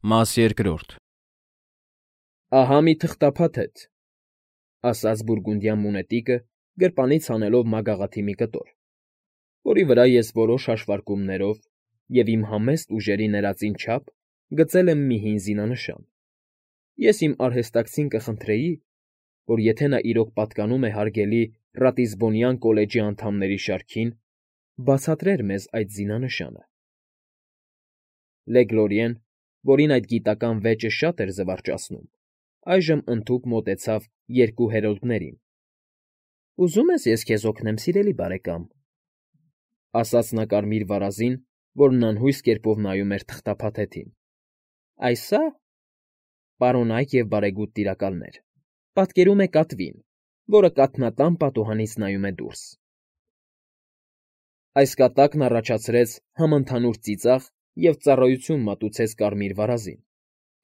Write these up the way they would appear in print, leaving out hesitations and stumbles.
Մաս երկրորդ։ Ահա մի թղթափաթեթ, ասաց բուրգունդյան մունետիկը, գրպանից հանելով մագաղաթի մի կտոր, որի վրա ես որոշ հաշվարկումներով և իմ համեստ ուժերի ներածին չափ գծել եմ մի հին զինանշան։ Ես իմ արհեստակցին կխնդրեի, որ եթե նա իրոք պատկանում է հարգելի Ռատիսբոնյան կոլեջի անդամների շարքին, բացատրեր մեզ այդ զինանշանը։ Լեգլորիեն, որին այդ գիտական վեճը շատ էր զվարճացնում, այժմ ընդհուպ մոտեցավ երկու հերոլդներին։ ֊ Ուզում ես ես քեզ օգնեմ, սիրելի բարեկամ,֊ ասաց նա կարմիր վարազին, որն անհույս կերպով նայում էր թղթափաթեթին։ ֊ Այ սա, պարոնայք և բարեգութ տիրակալներ, պատկերում է կատվին, որը կաթնատան պատուհանից նայում է դուրս։ Այս կատակն առաջացրեց համընդհանուր ծիծաղ և ծառայություն մատուցեց կարմիր վարազին,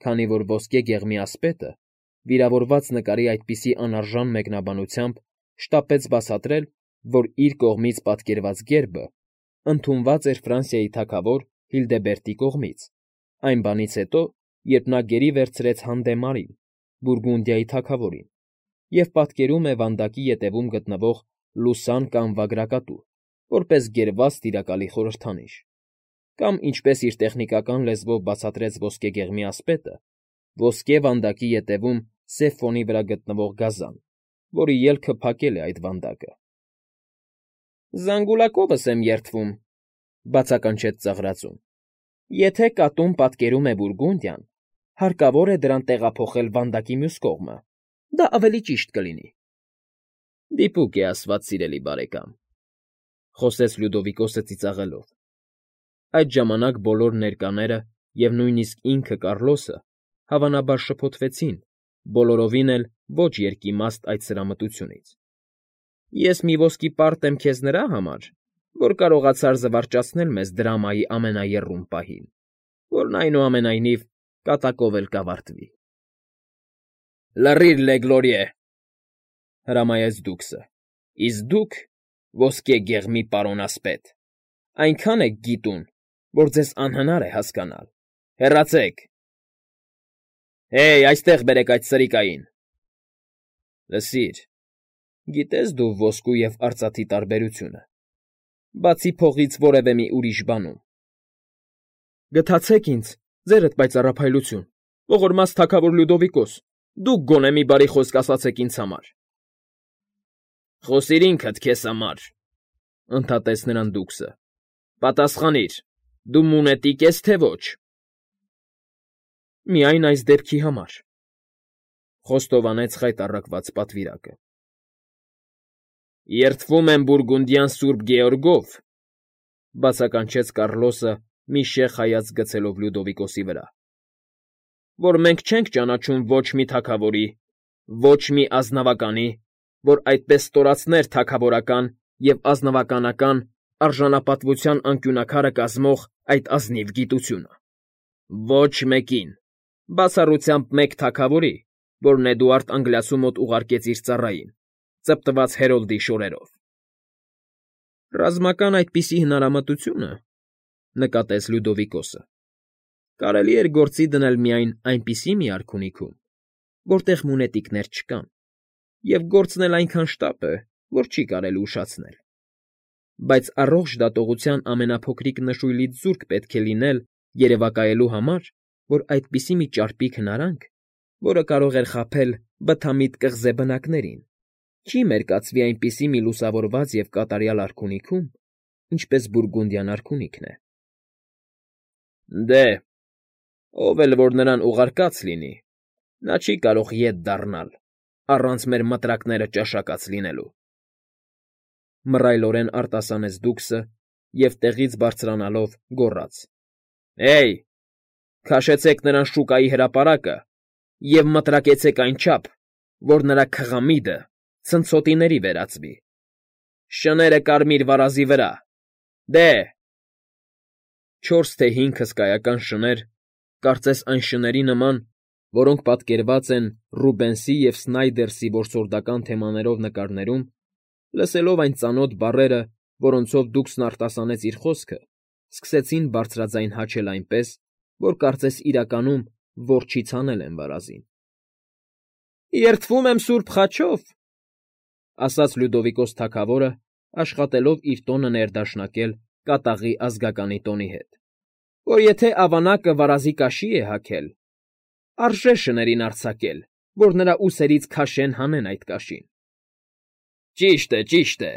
քանի որ ոսկե գեղմի ասպետը, վիրավորված նկարի այդպիսի անարժան մեկնաբանությամբ, շտապեց բացատրել, որ իր կողմից պատկերված գերբը ընդունված էր Ֆրանսիայի թագավոր Հիլդեբերտի կողմից, այն բանից հետո, երբ նա գերի վերցրեց Հանդեմարին, Բուրգունդիայի թագավորին, և պատկերում է վանդակի ետևում գտնվող Լուսան կամ Վագրակատու, որպես գերված տիրակալի խորհրդանիշ, կամ, ինչպես իր տեխնիկական լեզվով բացատրեց ոսկե գեղմի ասպետը, ոսկե վանդակի ետևում սև ֆոնի վրա գտնվող գազան, որի ելքը փակել է այդ վանդակը։ ֊ Զանգուլակովս եմ երդվում,֊ բացականչեց ծաղրածուն,֊ եթե կատուն պատկերում է Բուրգունդիան, հարկավոր է դրան տեղափոխել վանդակի մյուս կողմը, դա ավելի ճիշտ կլինի։ ֊ Դիպուկ է ասված, սիրելի բարեկամ,֊ խոսեց Լյուդովիկոսը ծիծաղելով։ Այդ ժամանակ բոլոր ներկաները և նույնիսկ ինքը Կառլոսը հավանաբար շփոթվեցին, բոլորովին էլ ոչ երկիմաստ այդ սրամտությունից։ ֊ Ես մի ոսկի պարտ եմ քեզ նրա համար, որ կարողացար զվարճացնել մեզ դրամայի ամենաեռում պահին, որն, այնուամենայնիվ, կատակով էլ կավարտվի։ ֊ Լռիր, Լեգլորիե,֊ հրամայեց դուքսը,֊ իսկ դուք, ոսկե գեղմի պարոնասպետ, այնքան եք գիտուն, որ ձեզ անհնար է հասկանալ։ Հեռացեք… Հեյ, այստեղ բերեք այդ սրիկային… Լսիր, գիտե՞ս դու ոսկու և արծաթի տարբերությունը, բացի փողից որևէ մի ուրիշ բանում։ ֊ Գթացեք ինձ, ձերդ պայծառափայլություն, ողորմած թագավոր Լյուդովիկոս, դուք գոնե մի բարի խոսք ասացեք ինձ համար։ ֊ Խոսիր ինքդ քեզ համար,֊ ընդհատեց նրան դուքսը,֊ պատասխանիր, դու մունետիկ ես, թե ոչ։ ֊ Միայն այս դեպքի համար,֊ խոստովանեց խայտառակված պատվիրակը։ ֊ Երդվում եմ Բուրգունդյան Սուրբ Գեորգով,֊ բացականչեց Կառլոսը մի շեղ հայացք գցելով Լյուդովիկոսի վրա,֊ որ մենք չենք ճանաչում ոչ մի թագավորի, ոչ մի ազնվականի, որ այդպես ստորացներ թագավորական և ազնվականական արժանապատվության անկյունաքարը կազմող այդ ազնիվ գիտությունը։ Ոչ մեկին, բացառությամբ մեկ թագավորի, որն Էդուարդ Անգլիացու մոտ ուղարկեց իր ծառային, ծպտված Հերոլդի շորերով։ ֊ Ռազմական այդպիսի հնարամտությունը,֊ նկատեց Լյուդովիկոսը,֊ կարելի էր գործի դնել միայն այնպիսի մի արքունիքում, որտեղ մունետիկներ չկան, և գործն էլ այնքան շտապ է, որ չի կարելի ուշացնել։ Բայց առողջ դատողության ամենափոքրիկ նշույլից զուրկ պետք է լինել երևակայելու համար, որ այդպիսի մի ճարպիկ հնարանք, որը կարող էր խաբել բթամիտ կղզե բնակներին, չի մերկացվի այնպիսի մի լուսավորված և կատարյալ արքունիքում, ինչպես Բուրգունդյան արքունիքն է։ ֊ Դե, ով էլ որ նրան ուղարկած լինի, նա չի կարող ետ դառնալ առանց մեր մտրակները ճաշակած լինելու,֊ մռայլորեն արտասանեց դուքսը և տեղից բարձրանալով գոռաց. Հեյ, քաշեցեք նրան շուկայի հրապարակը և մտրակեցեք այնչափ, որ նրա քղամիդը ցնցոտիների վերածվի… Շները կարմիր վարազի վրա… Դե… 4 թե 5 հսկայական շներ, կարծես այն շների նման, որոնք պատկերված են Ռուբենսի և Սնայդերսի որսորդական թեմաներով նկարներում, լսելով այն ծանոթ բառերը, որոնցով դուքսն արտասանեց իր խոսքը, սկսեցին բարձրաձայն հաչել այնպես, որ կարծես իրականում որջից հանել են վարազին։ «Երդվում եմ Սուրբ Խաչով», ասաց Լյուդովիկոս թագավորը, աշխատելով իր տոնը ներդաշնակել կատաղի ազգականի տոնի հետ, որ եթե ավանակը վարազի կաշի է հագել, արժե շներին արձակել, որ նրա ուսերից քաշեն հանեն այդ կաշին։ Ճիշտ է,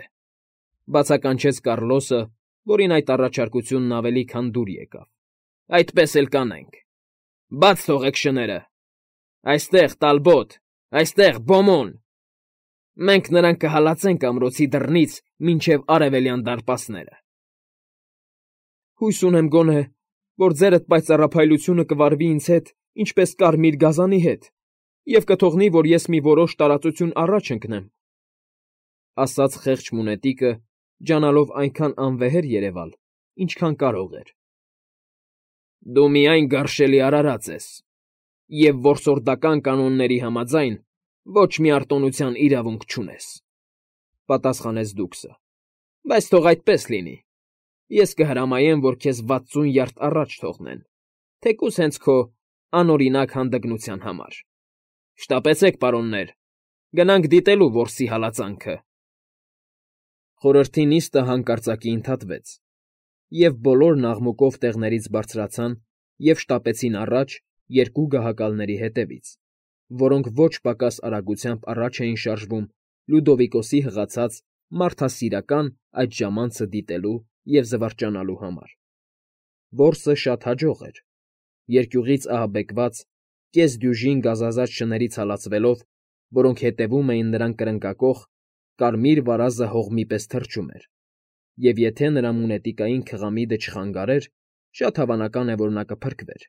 բացականչեց Կառլոսը, որին այդ առաջարկությունն ավելի քան դուր եկավ։ Այդպես էլ կանենք։ Բաց թողեք շները։ Այստեղ Տալբոտ, այստեղ Բոմոն։ Մենք նրան կհալածենք ամրոցի դռնից մինչև արևելյան դարպասները։ Հույս ունեմ գոնե, որ ձերդ պայծառափայլությունը կվարվի ինձ հետ, ինչպես կարմիր գազանի հետ, և կթողնի, որ ես մի որոշ տարածություն առաջ ընկնեմ, ասաց խեղճ մունետիկը, ջանալով այնքան անվեհեր երևալ, ինչքան կարող էր։ Դու միայն գարշելի արարած ես, և որսորդական կանոնների համաձայն ոչ մի արտոնության իրավունք չունես, պատասխանեց Դուքսը, բայց թող այդպես լինի, ես կհրամայեմ, որ քեզ 60 յարդ առաջ թողնեն, թեկուզ հենց քո անօրինակ հանդգնության համար։ Շտապեցեք, պարոններ, գնանք դիտելու որսի հալածանքը։ Խորհրդի նիստը հանկարծակի ընդհատվեց, և բոլորն աղմուկով տեղներից բարձրացան և շտապեցին առաջ երկու գահակալների հետևից, որոնք ոչ պակաս արագությամբ առաջ էին շարժվում Լյուդովիկոսի հղացած մարդասիրական այդ ժամանցը դիտելու և զվարճանալու համար։ Որսը շատ հաջող էր, երկյուղից ահաբեկված, կեսդյուժին գազազած շներից հալածվելով, որոնք հետևում էին նրան կրնկակող, կարմիր վարազը հողմի պես թռչում էր, և եթե նրա մունետիկային քղամիդը չխանգարեր, շատ հավանական է, որ նա կփրկվեր։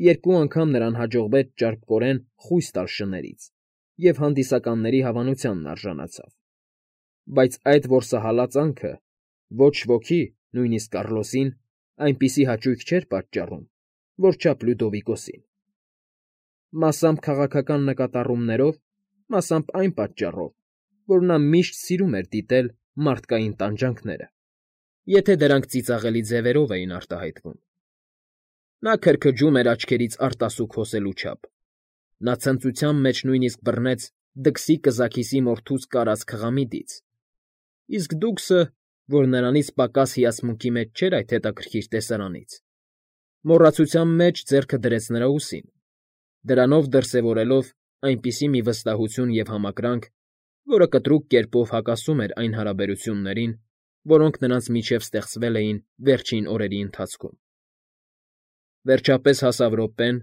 Երկու անգամ նրան հաջողվեց ճարպկորեն խույս տալ շներից և հանդիսականների հավանությանն արժանացավ, բայց այդ որսահալածանքը ոչ ոքի, նույնիսկ Կառլոսին, այնպիսի հաճույք չէր պատճառում, որչափ Լյուդովիկոսին։ Մասամբ քաղաքական նկատառումներով, մասամբ այն պատճառով, որ նա միշտ սիրում էր դիտել մարդկային տանջանքները, եթե դրանք ծիծաղելի ձևերով էին արտահայտվում։ Նա քրքջում էր աչքերից արտասուք հոսելու չափ։ Նա ցնծության մեջ նույնիսկ բռնեց դքսի կզաքիսի մորթուց կարած քղամիդից, իսկ Դուքսը, որ նրանից պակաս հիացմունքի մեջ չէր այդ հետաքրքիր տեսարանից, մոռացության մեջ ձեռքը դրեց նրա ուսին, դրանով դրսևորելով այնպիսի մի վստահություն և համակրանք, որը կտրուկ կերպով հակասում էր այն հարաբերություններին, որոնք նրանց միջև ստեղծվել էին վերջին օրերի ընթացքում։ Վերջապես հասավ րոպեն,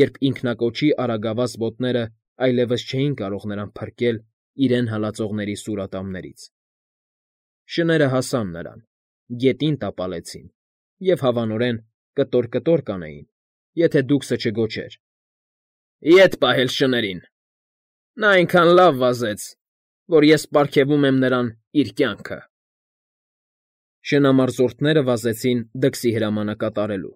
երբ ինքնակոչի արագավազ ոտները այլևս չէին կարող նրան փրկել իրեն հալածողների սուրատամներից։ Շները հասան նրան, գետին տապալեցին և հավանորեն կտոր-կտոր կանեին, եթե Դուքսը չգոչեր. «Ետ պահել շներին»։ Նա այնքան լավ վազեց, որ ես պարգևում եմ նրան իր կյանքը։ Շնամարզորդները վազեցին դքսի հրամանը կատարելու։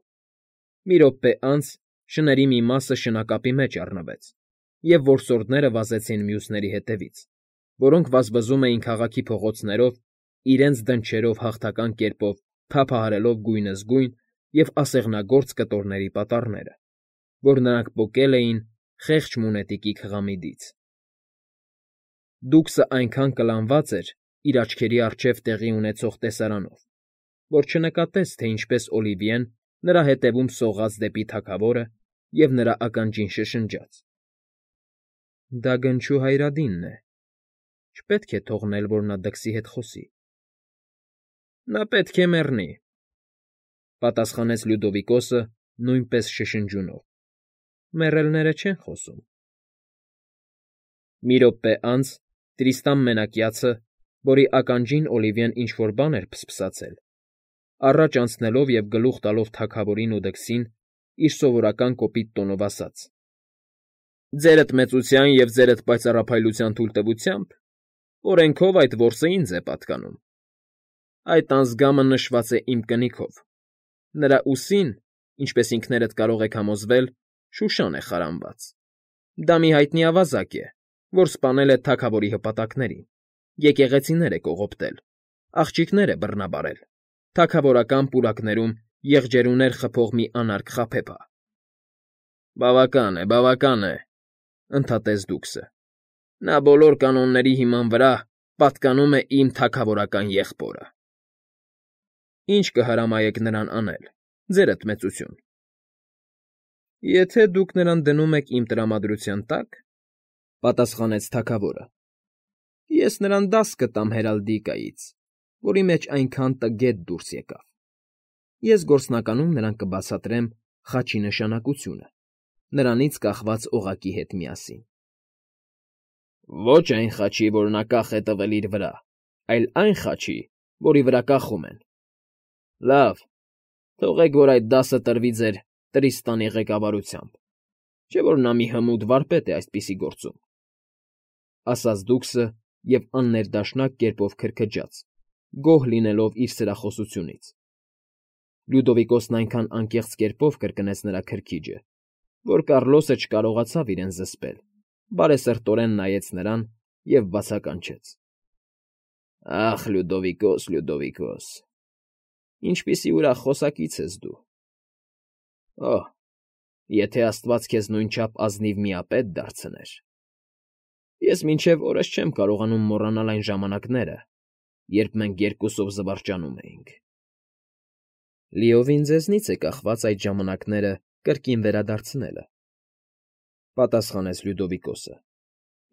Մի րոպե անց շների մի մասը շնակապի մեջ առնվեց, և որսորդները վազեցին մյուսների հետևից, որոնք վազվզում էին քաղաքի փողոցներով, իրենց դնչերով հաղթական կերպով թափահարելով գույնզգույն և ասեղնագործ կտորների պատառները, որ նրանք պոկել էին խեղճ մունետիկի քղամիդից։ Դուքսը այնքան կլանված էր իր աչքերի առջև տեղի ունեցող տեսարանով, որ չնկատեց, թե ինչպես Օլիվիեն նրա հետևում սողաց դեպի թագավորը և նրա ականջին շշնջաց. «Դա գնչու Հայրադինն է, չպետք է թողնել, որ նա դքսի հետ խոսի»։ «Նա պետք է մեռնի», պատասխանեց Լյուդովիկոսը նույնպես շշնջյունով։ «Մեռելները չեն խոսում»։ Մի րոպե անց Տրիստան Մենակյացը, որի ականջին Օլիվիեն ինչ֊որ բան էր փսփսացել, առաջ անցնելով և գլուխ տալով թագավորին ու դքսին, իր սովորական կոպիտ տոնով ասաց. «Ձերդ մեծության և ձերդ պայծառափայլության թույլտվությամբ օրենքով այդ որսը ինձ է պատկանում։ Այդ անձգամը նշված է իմ կնիքով։ Նրա ուսին, ինչպես ինքներդ կարող եք համոզվել, շուշան է խարանված։ Դա մի հայտնի ավազակ է, որ սպանել է թագավորի հպատակներին, եկեղեցիներ է կողոպտել, աղջիկներ է բռնաբարել, թագավորական պուրակներում եղջերուներ խփող մի անարգ խաբեբա։ Բավական է, ընդհատեց Դուքսը։ Նա բոլոր կանոնների հիման վրա պատկանում է իմ թագավորական եղբորը։ Ինչ կհրամայեք նրան անել, ձերդ մեծություն։ Եթե դուք նրան դնում եք իմ տրամադրության տակ, պատասխանեց թագավորը, ես նրան դաս կտամ հերալդիկայից, որի մեջ այնքան տգետ դուրս եկավ։ Ես գործնականում նրան կբացատրեմ խաչի նշանակությունը, նրանից կախված օղակի հետ միասին։ Ոչ այն խաչի, որ նա կախ է տվել իր վրա, այլ այն խաչի, որի վրա կախում են։ Լավ, թողեք, որ այդ դասը տրվի ձեր Տրիստանի ղեկավարությամբ, չէ՞ որ նա մի հմուտ վարպետ է այսպիսի գործում, ասաց Դուքսը և աններդաշնակ կերպով քրքջաց, գոհ լինելով իր սրախոսությունից։ Լյուդովիկոսն այնքան անկեղծ կերպով կրկնեց նրա քրքիջը, որ Կառլոսը չկարողացավ իրեն զսպել, բարեսրտորեն նայեց նրան և բացականչեց. Ախ, Լյուդովիկոս, ինչպիսի ուրախ խոսակից ես դու։ Օհ, եթե աստված քեզ նույնչափ ազնիվ միապետ դարձներ։ Ես մինչև օրս չեմ կարողանում մոռանալ այն ժամանակները, երբ մենք երկուսով զվարճանում էինք։ Լիովին ձեզնից է կախված այդ ժամանակները կրկին վերադարձնելը, պատասխանեց Լյուդովիկոսը։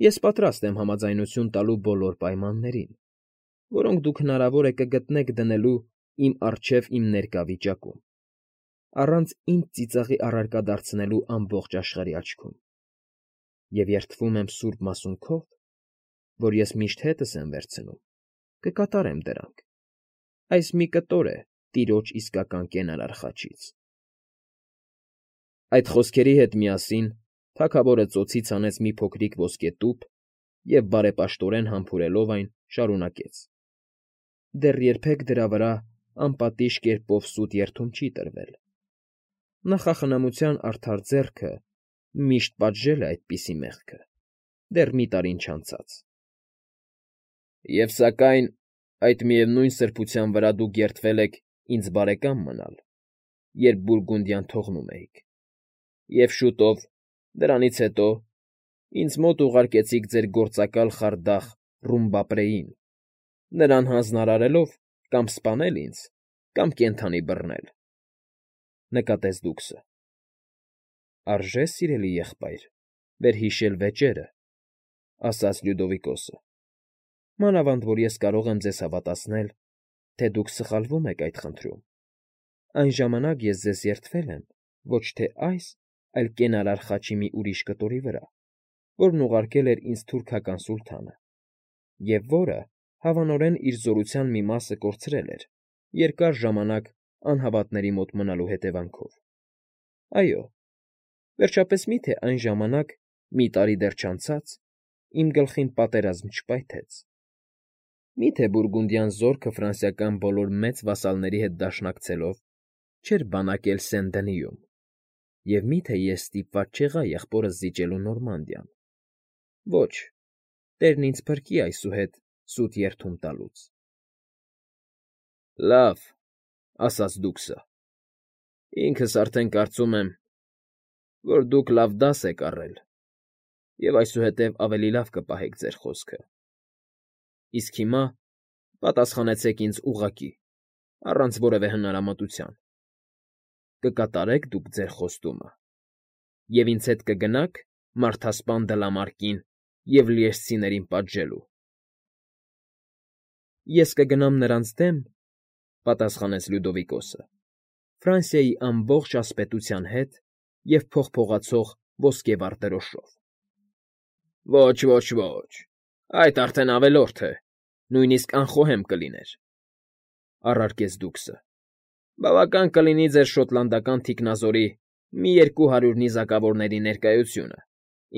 Ես պատրաստ եմ համաձայնություն տալու բոլոր պայմաններին, որոնք դուք հնարավոր է կգտնեք դնելու իմ առջև իմ ներկա վիճակում, առանց ինձ ծիծաղի առարկա դարձնելու ամբողջ աշխարհի աչքում, և երդվում եմ սուրբ մասունքով, որ ես միշտ հետս եմ վերցնում, կկատարեմ դրանք։ Այս մի կտոր է տիրոջ իսկական կենարար խաչից։ Այդ խոսքերի հետ միասին թագավորը ծոցից հանեց մի փոքրիկ ոսկե տուփ և, բարեպաշտորեն համբուրելով այն, շարունակեց. Դեռ երբեք դրա վրա անպատիժ կերպով սուտ երդում չի տրվել։ Նախախնամության արդար ձեռքը միշտ պատժել է այդպիսի մեղքը, դեռ մի տարին չանցած։ Եվ սակայն այդ միևնույն սրբության վրա դուք երդվել եք ինձ բարեկամ մնալ, երբ Բուրգունդիան թողնում էիք, և շուտով, դրանից հետո, ինձ մոտ ուղարկեցիք ձեր գործակալ խարդախ Ռումբապրեին, նրան հանձնարարելով կամ սպանել ինձ, կամ կենդանի բռնել, նկատեց Դուքսը։ Արժե, սիրելի եղբայր, վերհիշել վեճերը, ասաց Լյուդովիկոսը, մանավանդ որ ես կարող եմ ձեզ հավատացնել, թե դուք սխալվում եք այդ խնդրում։ Այն ժամանակ ես ձեզ երդվել եմ ոչ թե այս, այլ կենարար խաչի մի ուրիշ կտորի վրա, որն ուղարկել էր ինձ թուրքական սուլթանը, և որը հավանորեն իր զորության մի մասը կորցրել էր երկար ժամանակ անհավատների մոտ մնալու հետևանքով։ Այո, վերջապես մի՞թե այն ժամանակ, մի տարի դեռ չանցած, իմ գլխին պատերազմ չպայթեց։ Մի՞թե Բուրգունդյան զորքը ֆրանսիական բոլոր մեծ վասալների հետ դաշնակցելով չէր բանակել Սեն֊Դենիում, և մի՞թե ես ստիպված չեղա եղբորս զիջելու Նորմանդիան։ Ոչ, Տերն ինձ փրկի այսուհետ սուտ երդում տալուց։ Լավ, ասաց Դուքսը, ինքս արդեն կարծում եմ, որ դուք լավ դաս եք առել և այսուհետև ավելի լավ կպահեք ձեր խոսքը։ Իսկ հիմա պատասխանեցեք ինձ ուղղակի, առանց որևէ հնարամտության. կկատարեք դուք ձեր խոստումը և ինձ հետ կգնա՞ք մարդասպան դլամարկին և լիեշցիներին պատժելու։ Ես կգնամ նրանց դեմ, պատասխանեց Լյուդովիկոսը, Ֆրանսիայի ամբողջ ասպետության հետ և փողփողացող ոսկեվառ դրոշով։ Ոչ, այդ արդեն ավելորդ է, նույնիսկ անխոհեմ կլիներ, առարկեց Դուքսը։ Բավական կլինի ձեր շոտլանդական թիկնազորի մի 200 նիզակավորների ներկայությունը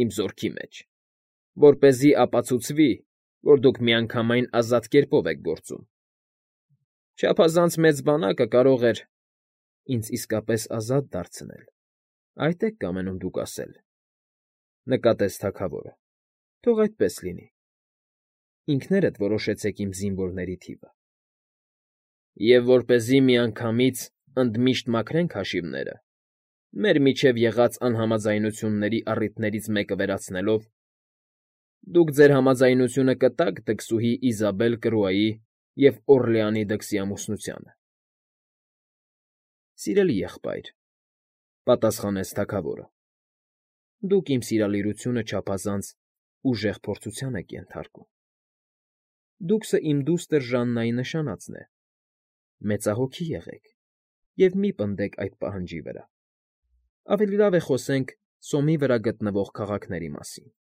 իմ զորքի մեջ, որպեսզի ապացուցվի, որ դուք միանգամայն ազատ կերպով եք գործում։ Չափազանց մեծ բանակը կարող էր ինձ իսկապես ազատ դարձնել, այդ եք կամենում դուք ասել, նկատեց թագավորը։ Թող այդպես լինի։ Ինքներդ որոշեցեք իմ զինվորների թիվը։ Եվ որպեսզի միանգամից ընդմիշտ մաքրենք հաշիվները, մեր միջև եղած անհամաձայնությունների առիթներից մեկը վերացնելով, դուք ձեր համաձայնությունը կտաք դքսուհի Իզաբել Կրուայի և Օռլեանի դքսի ամուսնությանը։ ֊ Սիրելի եղբայր,֊ պատասխանեց թագավորը,֊ դուք իմ սիրալիրությունը չափազանց ուժեղ փորձության եք ենթարկում։ Դուքսը իմ դուստր Ժաննայի նշանածն է, մեծահոգի եղեք և մի պնդեք այդ պահանջի վրա, ավելի լավ է խոսենք Սոմի վրա գտնվող քաղաքների մասին։ ֊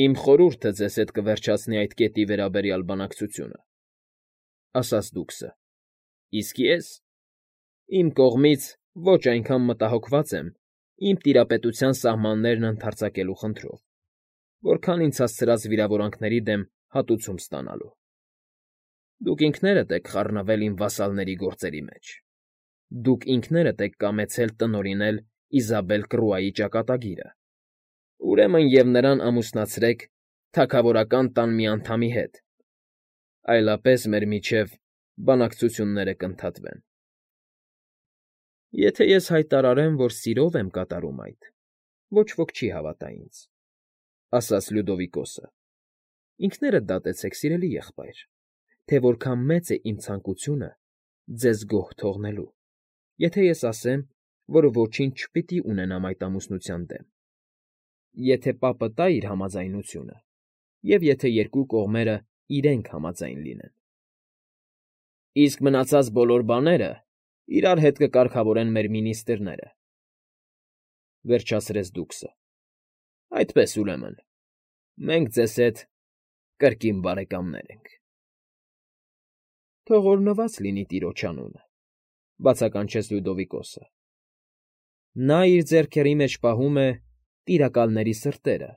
Իմ խորհուրդը ձեզ հետ կվերջացնի այդ կետի վերաբերյալ բանակցությունը,֊ ասաց դուքսը,֊ իսկ ես իմ կողմից ոչ այնքան մտահոգված եմ իմ տիրապետության սահմաններն ընդարձակելու խնդրով, որքան ինձ հասցրած վիրավորանքների դեմ հատուցում ստանալու։ Դուք ինքներդ եք խառնվել իմ վասալների գործերի մեջ։ Դուք ինքներդ եք կամեցել տնօրինել Իզաբել Կռուայի ճակատագիրը, ուրեմն և նրան ամուսնացրեք թագավորական տան մի անդամի հետ, այլապես մեր միջև բանակցությունները կընդհատվեն։ ֊ Եթե ես հայտարարեմ, որ սիրով եմ կատարում այդ, ոչ ոք չի հավատա ինձ,֊ ասաց Լյուդովիկոսը։ Ինքներդ դատեցեք, սիրելի եղբայր, թե որքան մեծ է իմ ցանկությունը ձեզ գոհ թողնելու, եթե ես ասեմ, որ ոչինչ չպիտի ունենամ այդ ամուսնության դեմ, եթե պապը տա իր համաձայնությունը և եթե երկու կողմերը իրենք համաձայն լինեն։ ֊ Իսկ մնացած բոլոր բաները իրար հետ կկարգավորեն մեր մինիստրները,֊ վերջացրեց դուքսը։ ֊ Այդպես, ուրեմն, մենք ձեզ հետ կրկին բարեկամներ ենք։ ֊ Թող օրհնված լինի տիրոջ անունը,֊ բացականչեց Լյուդովիկոսը։ Նա իր ձեռքերի մեջ պահում է տիրակալների սրտերը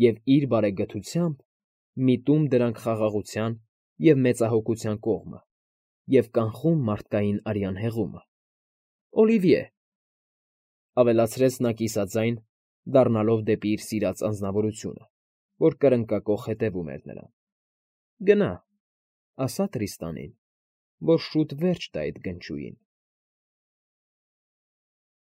և իր բարեգթությամբ միտում դրանք խաղաղության և մեծահոգության կողմը և կանխում մարդկային արյան հեղումը։ Օլիվիե,֊ ավելացրեց նա կիսաձայն, դառնալով դեպի իր սիրած անձնավորությունը, որ կրնկակոխ հետևում էր նրան,֊ գնա, ասա Տրիստանին, որ շուտ վերջ տա այդ գնչուին։